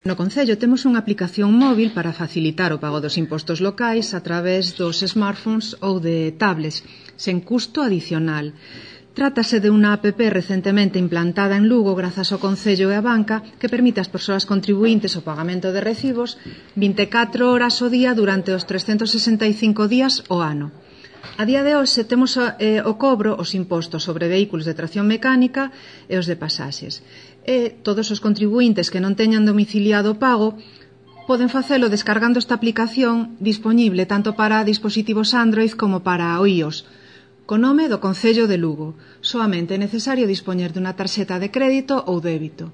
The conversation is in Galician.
No Concello temos unha aplicación móvil para facilitar o pago dos impostos locais a través dos smartphones ou de tablets, sen custo adicional. Trátase de unha app recentemente implantada en Lugo grazas ao Concello e a Banca que permite ás persoas contribuíntes o pagamento de recibos 24 horas ao día durante os 365 días ao ano. A día de hoxe temos o cobro os impostos sobre vehículos de tracción mecánica e os de pasaxes. E todos os contribuíntes que non teñan domiciliado o pago poden facelo descargando esta aplicación dispoñible tanto para dispositivos Android como para o iOS, co nome do Concello de Lugo. Soamente é necesario dispoñer dunha tarxeta de crédito ou débito.